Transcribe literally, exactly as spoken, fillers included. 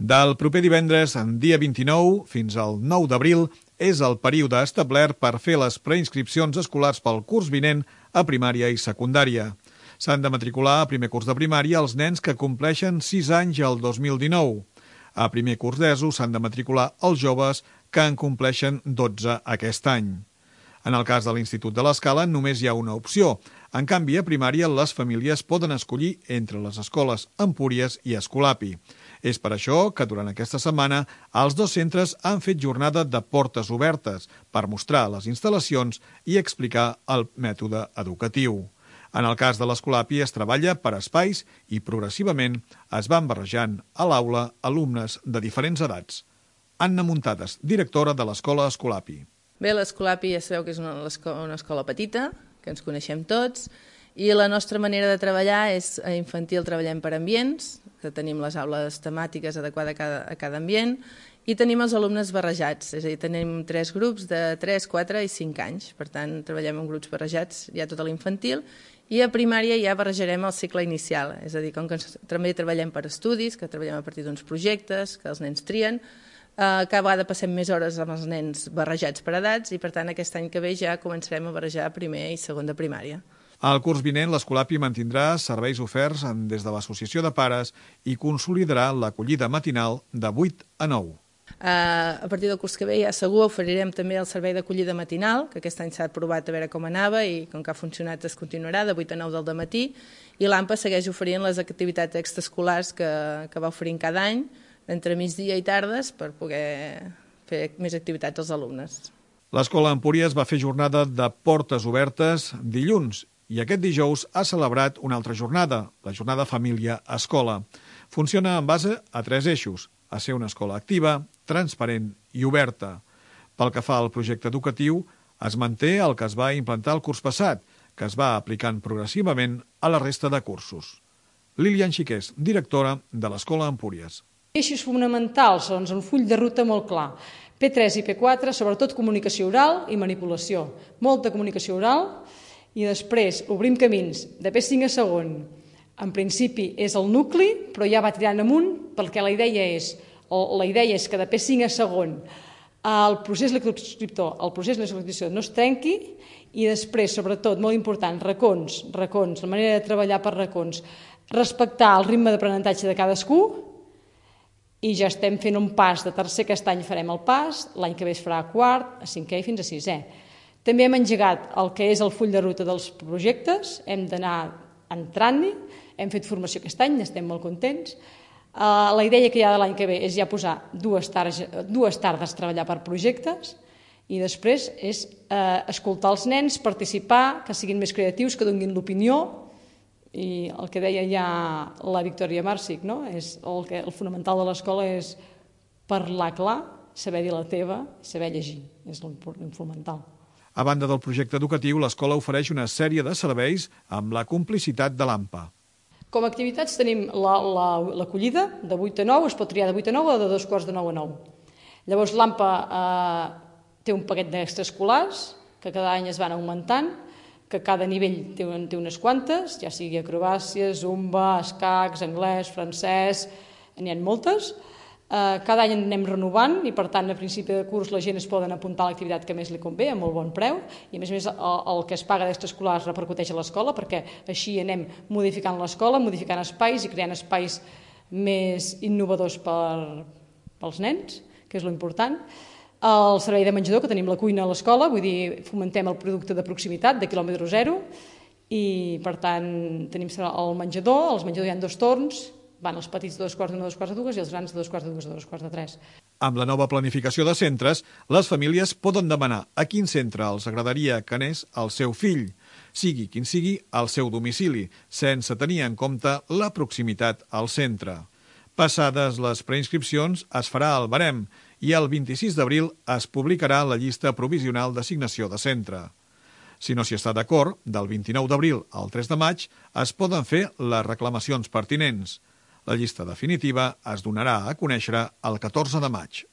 Del proper divendres, en dia vint-i-nou, fins al nou d'abril, és el període establert per fer les preinscripcions escolars pel curs vinent a primària i secundària. S'han de matricular a primer curs de primària els nens que compleixen sis anys el dos mil dinou. A primer curs d'ESO s'han de matricular els joves que en compleixen dotze aquest any. En el cas de l'Institut de l'Escala només hi ha una opció. En canvi, a primària les famílies poden escollir entre les escoles Empúries i Escolapi. És per això que durant aquesta setmana els dos centres han fet jornada de portes obertes per mostrar les instal·lacions i explicar el mètode educatiu. En el cas de l'Escolapi es treballa per espais i progressivament es van barrejant a l'aula alumnes de diferents edats. Anna Muntades, directora de l'Escola Escolapi. Bé, l'Escolapi ja sabeu que és una, una escola petita, que ens coneixem tots, i la nostra manera de treballar és a infantil treballem per ambients, que tenim les aules temàtiques adequades a cada, a cada ambient, i tenim els alumnes barrejats, és a dir, tenim tres grups de tres, quatre i cinc anys, per tant treballem en grups barrejats ja tota l'infantil, i a primària ja barrejarem el cicle inicial, és a dir, com que també treballem per estudis, que treballem a partir d'uns projectes que els nens trien, Uh, cada vegada passem més hores amb els nens barrejats per edats i per tant aquest any que ve ja començarem a barrejar primer i segon de primària. Al curs vinent l'Escolapi mantindrà serveis oferts des de l'Associació de Pares i consolidarà l'acollida matinal de vuit a nou. Uh, a partir del curs que ve ja segur oferirem també el servei d'acollida matinal, que aquest any s'ha provat a veure com anava i com que ha funcionat es continuarà de vuit a nou del dematí, i l'AMPA segueix oferint les activitats extraescolars que, que va oferint cada any entre migdia i tardes per poder fer més activitats als alumnes. L'Escola Empúries va fer jornada de portes obertes dilluns i aquest dijous ha celebrat una altra jornada, la jornada Família-Escola. Funciona en base a tres eixos, a ser una escola activa, transparent i oberta. Pel que fa al projecte educatiu, es manté el que es va implantar el curs passat, que es va aplicant progressivament a la resta de cursos. Lilian Xiqués, directora de l'Escola Empúries. Eixos fonamentals, doncs, un full de ruta molt clar. P tres i P quatre, sobretot comunicació oral i manipulació. Molta comunicació oral i després obrim camins de P cinc a segon. En principi és el nucli, però ja va tirant amunt perquè la idea és, la idea és que de P cinc a segon el procés lectoescriptor, el procés lectoescriptor no es trenqui i després, sobretot, molt important, racons, racons, la manera de treballar per racons, respectar el ritme d'aprenentatge de cadascú. I ja estem fent un pas de tercer, aquest any farem el pas, l'any que ve es farà a quart, a cinquè i fins a sisè. També hem engegat el que és el full de ruta dels projectes, hem d'anar entrant-hi, hem fet formació aquest any, estem molt contents. La idea que hi ha de l'any que ve és ja posar dues tardes, dues tardes a treballar per projectes i després és escoltar els nens, participar, que siguin més creatius, que donin l'opinió. I el que deia ja la Victòria Màrcic, no? És el, que, el fonamental de l'escola és parlar clar, saber dir la teva, saber llegir, és el fonamental. A banda del projecte educatiu, l'escola ofereix una sèrie de serveis amb la complicitat de l'AMPA. Com a activitats tenim l'acollida la, la, de vuit a nou, es pot triar de vuit a nou o de dos quarts de nou a nou. Llavors l'AMPA eh, té un paquet d'extraescolars que cada any es van augmentant, que cada nivell té, té unes quantes, ja sigui acrobàcia, zumba, escacs, anglès, francès, n'hi ha moltes. Cada any anem renovant i, per tant, a principi de curs la gent es poden apuntar a l'activitat que més li convé, a molt bon preu, i a més a més el, el que es paga d'extraescolars repercuteix a l'escola, perquè així anem modificant l'escola, modificant espais i creant espais més innovadors per, pels nens, que és l'important. El servei de menjador, que tenim la cuina a l'escola, vull dir, fomentem el producte de proximitat, de quilòmetre zero, i per tant tenim el menjador, als menjadors hi ha dos torns, van els petits de dos quarts d'una a dos quarts de dues i els grans de dos quarts de dues a dos quarts de tres. Amb la nova planificació de centres, les famílies poden demanar a quin centre els agradaria que anés el seu fill, sigui quin sigui el seu domicili, sense tenir en compte la proximitat al centre. Passades les preinscripcions, es farà el barem i el vint-i-sis d'abril es publicarà la llista provisional d'assignació de centre. Si no s'hi està d'acord, del vint-i-nou d'abril al tres de maig es poden fer les reclamacions pertinents. La llista definitiva es donarà a conèixer el catorze de maig.